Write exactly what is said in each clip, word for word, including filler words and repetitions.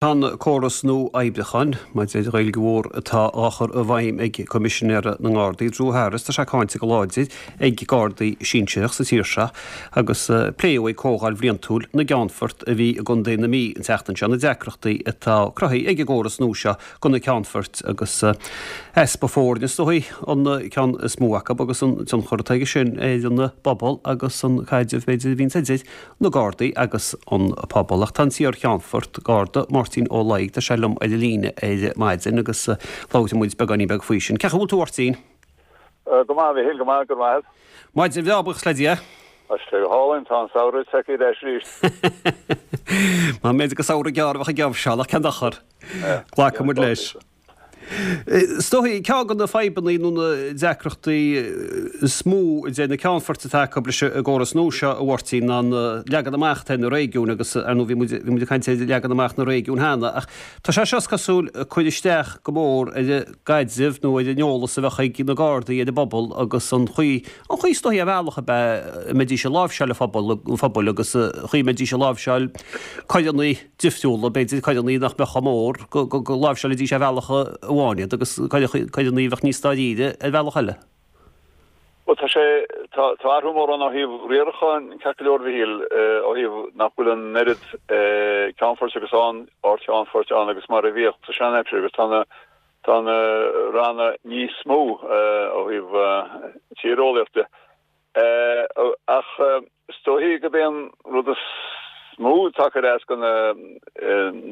Tá an córas nua oibriúcháin maidir le Gaeilge Mhór atá á chur i bhfeidhm ag Coimisinéir na nGardaí, Drew Harris, tá sé cáinte go láidir ag Gardaí sinsearach sa tír seo agus pléadh ag comhdháil bhliantúil na gCeannfort a bhí i gContae na Mí an tseachtain seo na deacrachtaí atá cruthaithe ag an gcóras nua seo do na ceannfoirt agus easpa foirne is dóigh an ceann is mó acu agus an tionchar atá aige sin ar an bpobal agus an caidreamh b'fhéidir a bhíonn idir na Gardaí agus an pobal. Ach tá an t-iar-cheannfort Garda Máirtín Ó Laigh, tá sé liom ar an líne ar maidin agus labhróidh muid beagáinín beag faoi sin. Cén chaoi a bhfuil tú, a Mháirtín? Go maith, a Mhichíl, go maith, go maith. Maidin bhreá, buíochas le Dia. Tá sé go hálainn, tá an samhradh tagtha ar ais arís. Má b'fhéidir gur samhradh gearr a bheadh i gceist ach cén dochar. Glacfaidh muid leis. Is dóigh, ceann de na fadhbanna nó na deacrachtaí is mó a deir na ceannfoirt atá acu leis an gcóras nua seo, a Mháirtín, ná an leagan amach atá ar na réigiúin agus, ar ndóigh, bhí muid, bhí muid ag caint ar leagan amach na réigiún cheana ach tá sé seo, is cosúil, ag cur isteach go mór ar an gcaidreamh nó ar an eolas a bheadh ag na Gardaí ar an bpobal agus an chaoi, an chaoi is dóigh ar bhealach ab ea a mbeidís ag láimhseáil an phobail, an phobail agus an chaoi a mbeidís ag láimhseáil coireanna difriúla, b'fhéidir coireanna nach mbeadh chomh mór, go, go, go láimhseálfaidís ar bhealach amháin iad agus coireanna a bheadh níos dáiríre ar bhealach eile. Bhuel, tá sé, tá, tá athrú mór ann ó thaobh riaracháin, ceart go leor, a Mhichíl, ó thaobh nach bhfuil an oiread ceannfoirt agus ann, ardcheannfoirt ann agus mar a bhíodh sa seanaimsir agus tá na, tá na ranna níos mó ó thaobh tíreolaíochta. Ach is dóichí gurb é an rud is mó atá ag cur as do na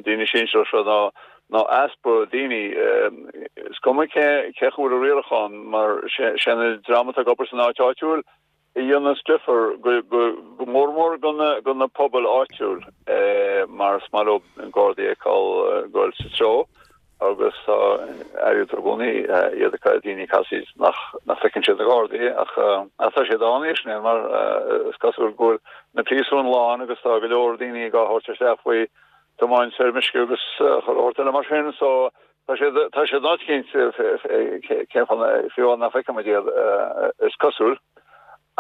daoine sinsearacha seo ná ná easpa daoine. Is cuma cé cé chomh bhfuil an riarachán mar sé an dream atá ag obair san áit áitiúil a dhéanas difear go go go mór mór do na do na pobail áitiúil mar is maith leo Gardaí a fheiceáil ag goil sa treo. Agus tá airgead i gcónaí iad ag daoine ag casaoid nach nach bhfeiceann siad na Gardaí ach ach tá siad ann anois mar is cosúil go bhfuil na príosúin lán agus tá go leor daoine á dtabhairt isteach faoi tiomáint ar meisce agus chuile shórt eile mar sin so tá siad tá siad in áit eicínt cén fáth fiú nach bhfeiceann muid iad is cosúil.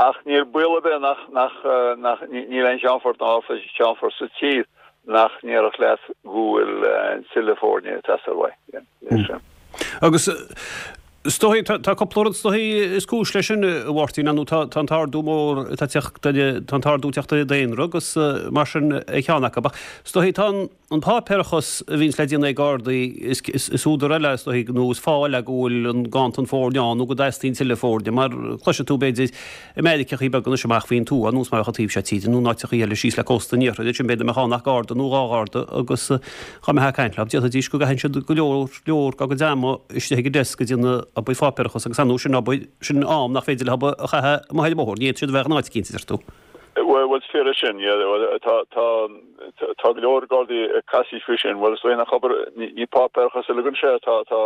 Ach níl baol ar bith nach, nach, nach, níl aon cheannfort ná ardcheannfort sa tír nach ndéarfadh leat go bhfuil tuilleadh foirne ag teastáil uaidh. Agus is dóigh, tá, tá cúpla rud is dóigh is cúis leis sin, a Mháirtín, nó tá, tá an t-ardú mór atá ag teacht ar, tá an t-ardú ag teacht ar an daonra agus mar sin ar cheann acu. Ach is dóigh tá an, An páipéarachas a bhíonns le déanamh ag Gardaí, is údar eile, is dóigh, nó is fáth eile go bhfuil an ganntan foirne ann nó go dteastaíonn tuilleadh foirne, mar cloisfidh tú, b'fhéidir, i Meiriceachaí beaga anois amach faoin tuath, nós mar a bheadh an taobh seo tíre, nó in áiteachaí eile síos le cósta an iarthair, ansin b'fhéidir nach mbeadh ann ach Garda nó dhá Gharda agus dá mbeifeá ag caint leo, déarfaidís go gcaitheann siad go leor, leor dá gcuid ama istigh ag an desk ag déanamh obair pháipéarachas agus ar ndóigh sin obair, sin am nach féidir leo a chaitheamh amuigh ar an mbóthar, ní fhéadfaidh siad a bheith in áit eicínt, a deir tú. Bhuel, is fíor é sin, yeah. Tá, tá, tá go leor Gardaí ag casaoid faoi sin. Bhuel, is dóigh nach obair, ní páipéarachas uilig anseo, tá, tá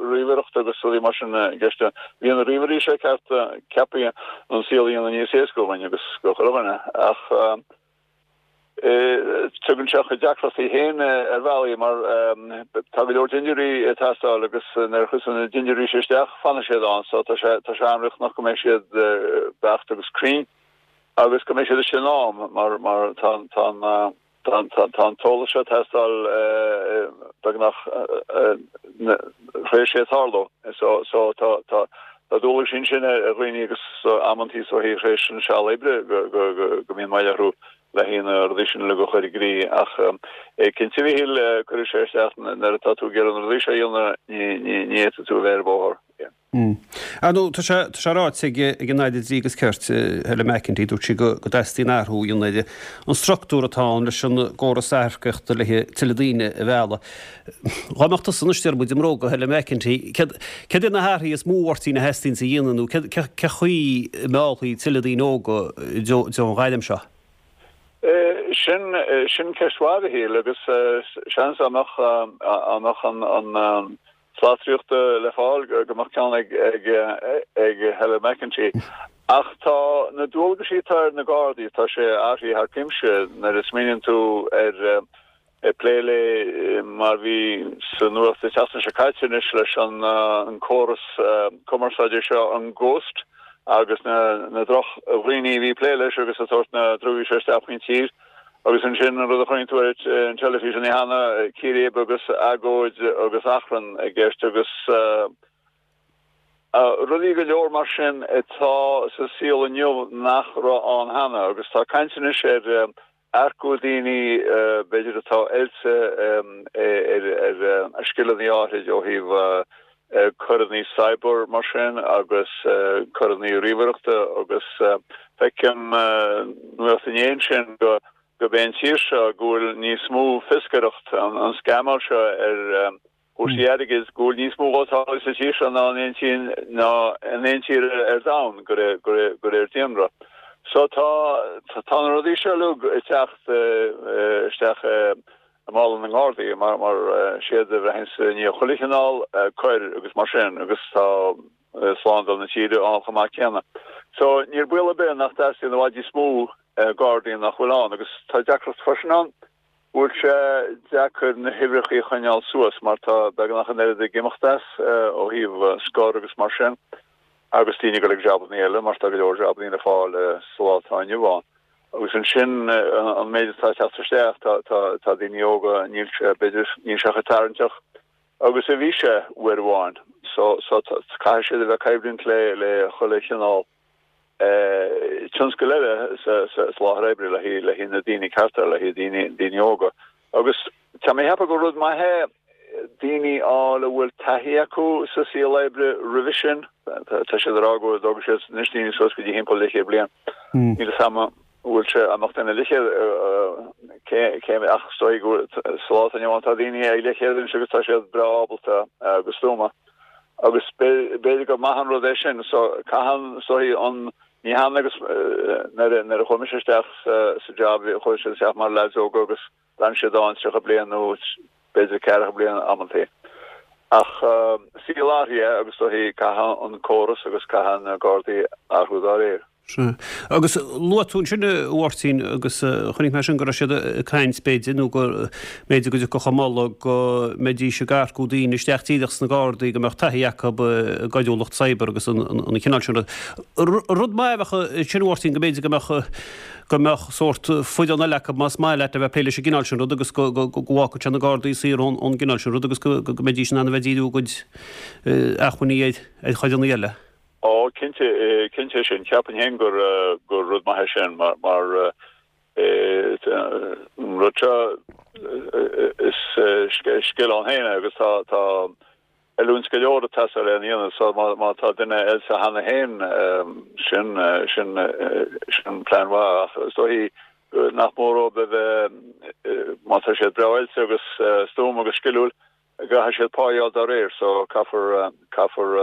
ríomhaireacht agus rudaí mar sin i gceist. Bhí na ríomhairí seo ceart ceaptha an saol a dhéanamh níos éasca dúinn agus do chuile dhuine ach tugann sé a chuid deacrachtaí féin ar bhealaí mar tá go leor dintiúirí ag teastáil agus nuair a chuirtear na dintiúirí seo isteach fanfaidh siad ann so tá sé, tá sé an-riachtanach go mbeidh siad beacht agus cruinn. Agus go mbeidh siad istigh in am mar mar tá tá tá tá an t-eolas seo ag teastáil beagnach tar éis sé tarlú. So so tá tá tá dualgais ansin ar dhaoine agus amantaí so tar éis an seal oibre go go go go mbíonn moill orthu le haghaidh na rudaí sin uilig a chur i gcrích ach cinnte a Mhichíl cuirfidh sé isteach nuair atá tú ag iarraidh na rudaí seo a dhéanamh ní ní ní fhéadfaidh tú a bheith ar an bhóthar. Ar ndóigh, tá sé tá sé ráite ag ag an Aire Dlí agus Cirt, Helen McEntee, dúirt sí go go dteastaíonn athrú a dhéanamh ar an struchtúr atá ann leis an gcóras earcaíochta le tuilleadh daoine a mhealladh. Dá mbeadh tusa anois deir muid i mbróga Helen McEntee, céard céard iad na hathruithe is mó a Mháirtín a theastaíonn a dhéanamh nó cé cé cé chaoi a meallfaí tuilleadh daoine óga i dtreo i dtreo an ghairm seo? Sin sin ceist mhaith, a Mhichíl, agus seans dá mbeadh dá mbeadh an an slat sroichte le fáil go mbeadh ceann ag Helen McEntee. Ach tá na dualgaisí atá ar na Gardaí, tá sé athraithe thar cuimse nuair a smaoiníonn tú ar ag plé le mar bhí sa nuacht an tseachtain seo caite anois leis an córas cumarsáide seo, an Ghost, agus na drochdhaoine a bhí ag plé leis agus ag tabhairt na drugaí seo isteach faoin tír. Agus ansin an rud a chonaic tú ar an teilifís an oíche cheana, círéib agus agóid agus achrann i gceist agus rudaí go leor mar sin atá sa saol inniu nach raibh ann cheana. Agus tá caint anois ar earcú daoine b'fhéidir atá oilte ar scileanna áirid ó thaobh coireanna cyber mar sin agus coireanna ríomhaireachta agus feicim nuacht inné ansin go gurb é an tír seo go bhfuil níos mó fioscaireacht, an scamáil seo ar chúrsaí airgid, go bhfuil níos mó dhó tarlaithe sa tír seo ná in aon tír ná in aon tír ar domhan de réir daonra. So tá tá na rudaí seo uilig ag teacht isteach i mála na nGardaí mar mar siad a bhraitheanns i ndiaidh chuile chineál coir agus mar sin agus tá slándáil na tíre ann chomh maith céanna. So níl baol ar bith nach dteastaíonn i bhfad níos mó Gardaí nach bhfuil ann agus tá deacracht freisin ann go bhfuil sé deacair na huimhreacha a choinneáil suas mar tá beagnach an oiread ag imeacht as ó thaobh scor agus mar sin agus daoine ag dul ag jabannaí eile mar tá go leor jabannaí le fáil sa lá atá inniu ann. Agus ansin an méid atá ag teacht isteach tá tá tá daoine óga níl sé b'fhéidir níl sé chomh tarraingteach agus a bhí sé uair amháin. So so caithfidh siad a bheith ag coimhlint le le chuile chineál tionscal eile sa láthair oibre le haghaidh na daoine cearta, le haghaidh daoine daoine óga. Agus tá mé ag ceapadh gur rud maith é daoine a fháil a bhfuil taithí acu sa saol oibre roimhe sin. Tá siad ag rá go dtógfaidh siad anois daoine suas go dtí thimpeall leathchéad bliain. Níl a fhios agam an bhfuil sé an mbeadh duine leathchéad cé cé ach is dóigh go sa lá atá inniu ann tá daoine ag leathchéad anois agus tá siad breá ábalta agus stuama. Agus b'fhéidir gur maith an rud é sin. So caitheann is dóigh an ní hann agus nuair nuair a chuaigh mise isteach sa job chuaigh siad isteach mar leaids óga agus d'fhan siad ann tríocha bliain nó b'fhéidir ceathracha bliain amantaí. Ach saol athraithe agus is dóigh caithfidh an córas agus caithfidh na Gardaí athrú dá réir. Sea. Agus luaigh tú ansin, a Mháirtín, agus chonaic mé sin go raibh siad ag caint, b'fhéidir, nó go mb'fhéidir go dtiocfadh an moladh go mbeidís ag earcú daoine isteach díreach sna Gardaí go mbeadh taithí acu i gcoiriúlacht cyber agus an cineál sin rud. Rud maith a bheadh ansin, a Mháirtín, go mb'fhéidir go mbeadh go mbeadh sórt foireann eile acu más maith leat a bheith ag plé leis an gcineál sin rud agus go bhfágfadh sé na Gardaí saor ón gcineál sin rud agus go mbeidís in ann a bheith ag díriú a gcuid acmhainní ar choireanna eile. Ó, cinnte, cinnte é sin. Ceapaim féin gur, gur rud maith é sin mar, mar an rud seo, is scil ann féin é agus tá, tá oiliúint go leor ag teastáil lena dhéanamh so má, má tá duine oilte cheana féin, sin, sin, sin plean mhaith ach is dóichí nach mór dóibh a bheith, má tá siad breá oilte agus stuama agus sciliúil, Caithfidh siad pá a fháil dá réir so caithfear caithfear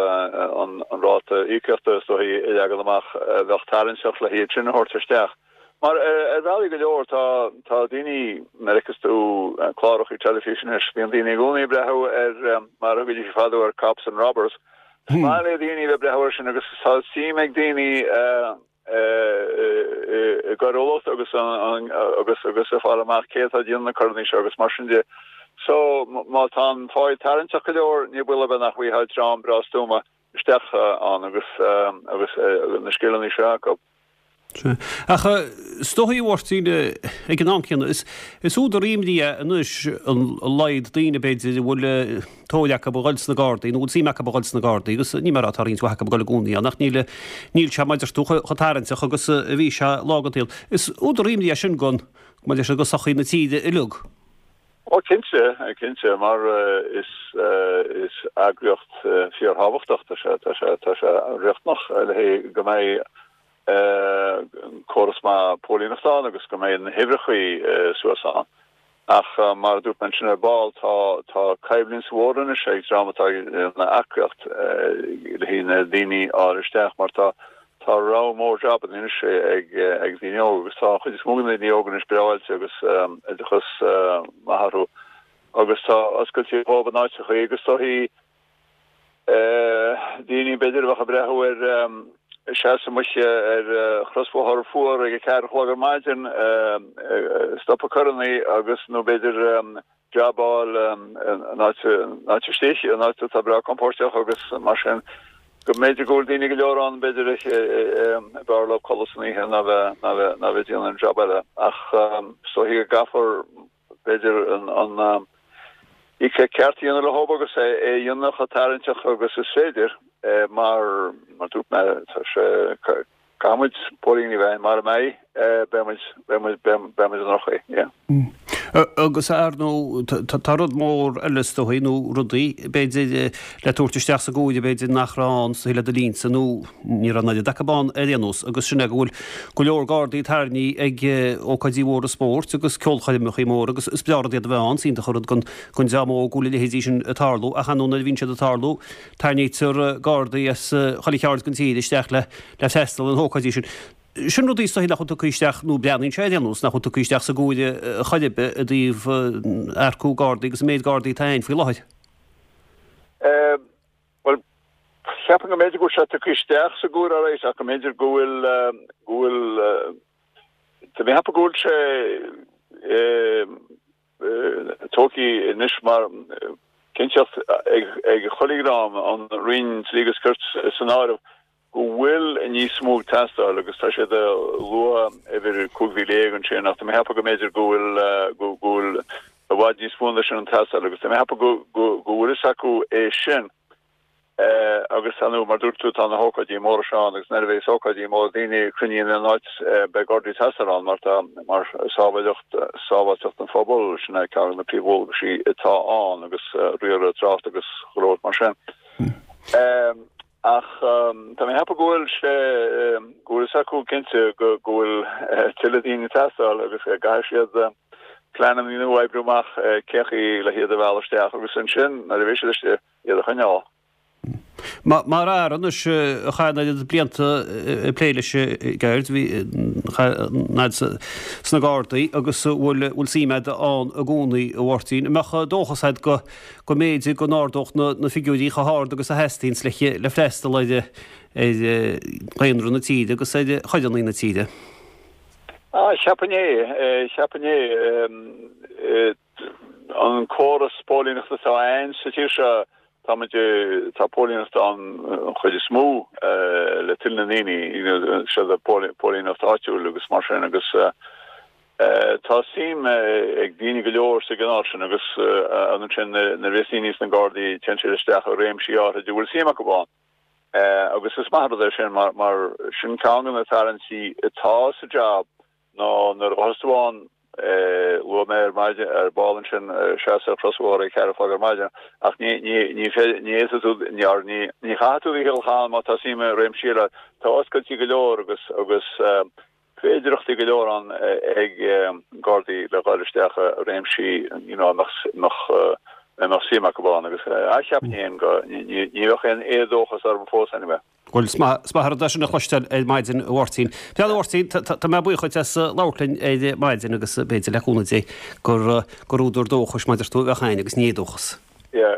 an an ráta íocaíochta is dóichí a leagan amach a bheadh tarraingteach le hiad sin a thabhairt isteach. Mar ar bhealaí go leor tá tá daoine nuair a fheiceas tú cláracha teilifíse anois bíonn daoine i gcónaí ag breathnú ar mar a thugaidís fadó ar Cops and Robbers. Is maith le daoine a bheith ag breathnú air sin agus tá suim ag daoine i gcoiriúlacht agus agus agus ag fáil amach cé atá ag déanamh na coireanna seo agus mar sin de. So má tá an pá tarraingteach go leor, ní baol ar bith nach bhfaighfeá dream breá stuama isteach ann agus agus na scileanna seo acu. Sea. Ach is dóichí, a Mháirtín, ag an am céanna, is is údar imní é anois an laghad daoine, b'fhéidir, a bhfuil tóir acu a dhul sna Gardaí, nó a bhfuil suim acu a dhul sna Gardaí, agus ní mar atá roinnt mhaith acu ag dul i gcónaí ann, ach níl níl sé, mar a deir tú, chomh tarraingteach agus a bhí sé lá den tsaol. Is údar imní é sin don, mar a deir siad, do sochaí na tíre uilig. Ó cinnte, cinnte, mar is is eagraíocht fíorthábhachtach, tá sé tá sé tá sé riachtanach le haghaidh go mbeidh córas maith póilíneachta ann agus go mbeidh na huimhreachaí suas ann. Ach mar a dúirt mé ansin ar ball, tá tá coimhlint mhór anois ag dream atá ag déanamh earcaíocht le haghaidh na daoine a fháil isteach mar tá tá rogha mór jabanna anois ag ag daoine óga agus tá an chuid is mó de na daoine óga anois breá oilte agus oideachas maith orthu agus tá oscailte dhóibh in áiteachaí agus tá Daoine, b'fhéidir, a bheadh ag breathnú ar seasamh amuigh ar chrosbhóthar fuar ag a ceathair a chlog ar maidin, stopadh coireanna agus, nó b'fhéidir jab a fháil in áit istigh, in áit atá breá compóirteach agus mar sin. go mb'fhéidir go bhfuil daoine go leor ann b'fhéidir ab fhearr leo codladh san oíche ná bheith ná bheith ná bheith ag déanamh an jab eile ach is dóichí go gcaithfear b'fhéidir an an íoc ceart a dhéanamh leo agus é é a dhéanamh chomh tarraingteach agus is féidir mar mar dúirt mé tá sé caithfidh muid póilíní a bheith mara mbeidh beidh muid beidh muid beidh muid i ndroch-chaoi yeah. Agus ar ndóigh tá rud mór eile is dóichí nó rudaí b'fhéidir le tabhairt isteach sa gcomhairle b'fhéidir nach raibh ann sa le do linnse nó ní raibh an oiread acu ann ar aon nós agus sin é go bhfuil go leor Gardaí tarraingthe ag ócáidí móra spóirt agus ceolchoirmeacha móra agus is breá rud iad a bheith ann, is iontach an rud don don dream óg go bhfuil a leithéidí sin ag tarlú ach ar ndóigh nuair a bhíonn siad ag tarlú tarraingítear Gardaí as chuile cheard den tír isteach le le freastal ar na hócáidí sin. Sin rudaí is dóichí nach bhfuil tugtha isteach, nó breathnaíonn sé ar aon nós, nach bhfuil tugtha isteach sa gcomhairle chor ar bith i dtaobh earcú Gardaí agus an méid Gardaí atá ann faoi láthair. Bhuel, cheapfainn go mb'fhéidir go bhfuil sé tugtha isteach sa gcomhairle alright ach go mb'fhéidir go bhfuil, go bhfuil, tá mé ag ceapadh go bhfuil sé tógtha anois mar cinnteacht ag chuile dhream, an Roinn Dlí agus Cirt san áireamh, go bhfuil níos mó ag teastáil agus tá siad ag lua uimhir cúig mhíle dhéag ansin ach tá mé ag ceapadh go mb'fhéidir go bhfuil go bhfuil i bhfad níos mó ná sin ag teastáil agus tá mé ag ceapadh go go go bhfuil fhios acu é sin agus ar ndóigh mar dúirt tú tá na hócáidí móra seo ann agus nuair a bheas ócáidí móra daoine cruinnithe in aon áit beidh Gardaí ag teastáil ann mar tá mar sábháilteacht sábháilteacht an phobail sin é ceann de na príomhdhualgaisí atá ann agus riaradh trácht agus go leor mar sin. Ach tá mé ag ceapadh go bhfuil sé, go bhfuil fhios acu cinnte go bhfuil tuilleadh daoine ag teastáil agus go gcaithfidh siad pleananna nua a oibriú amach cén chaoi le hiad a mhealladh isteach agus ansin nuair a bheidh siad istigh, iad a choinneáil. Mar fhear anois a chaith an oiread blianta ag plé leis an gceird, bhí an fhad sna Gardaí agus bhfuil suim agat ann i gcónaí, a Mháirtín. An mbeadh dóchas agat go go mb'fhéidir go n-ardódh na figiúirí chomh hard agus a theastaíonns le freastal ar dhaonra na tíre agus ar choireanna na tíre. Ah, cheapfainn é, cheapfainn é. An córas póilíneachta atá ann sa tír seo, tá muid, tá póilíneacht ann an chuid is mó le toil na ndaoine, you know, siad póilíneacht áitiúil agus mar sin agus Tá suim ag daoine go leor sa gcineál sin agus ansin nuair a bhíos daoine sna Gardaí téann siad isteach i réimsí áirithe a bhfuil suim acu ann. Agus is maith an rud é sin mar mar sin ceann de na tarraingtí atá sa jab ná nuair a ghabhfas tú ann, luaigh mé ar maidin ar ball ansin seasamh ar chrosbhóthar ag ceathair a chlog ar maidin ach ní ní ní ní fhéadfaidh tú ní ní ní chaithfidh tú do sheal ann má tá suim i réimsí eile. Tá oscailtí go leor agus agus féidearthachtaí go leor ann ag Gardaí le dhul isteach i réimsí you know a mbeadh a mbeadh suim acu ann agus cheapfainn féin go ní bheadh aon éadóchas orm fós anyway. Bhuel, is maith an rud é sin a chloisteáil ar maidin, a Mháirtín. Bhuel, a Mháirtín, tá mé buíoch dhuit as labhairt linn ar maidin agus b'fhéidir le cúnamh Dé gur gur údar dóchais mar a deir tú a bheadh ann agus ní éadóchas. Yeah,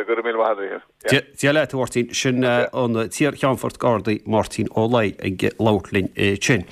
go raibh míle maith agat. Yeah. Dia leat, a Mháirtín. Sin an t-iar-Cheannfort Gardaí Máirtín Ó Laoi ag labhairt linn ansin.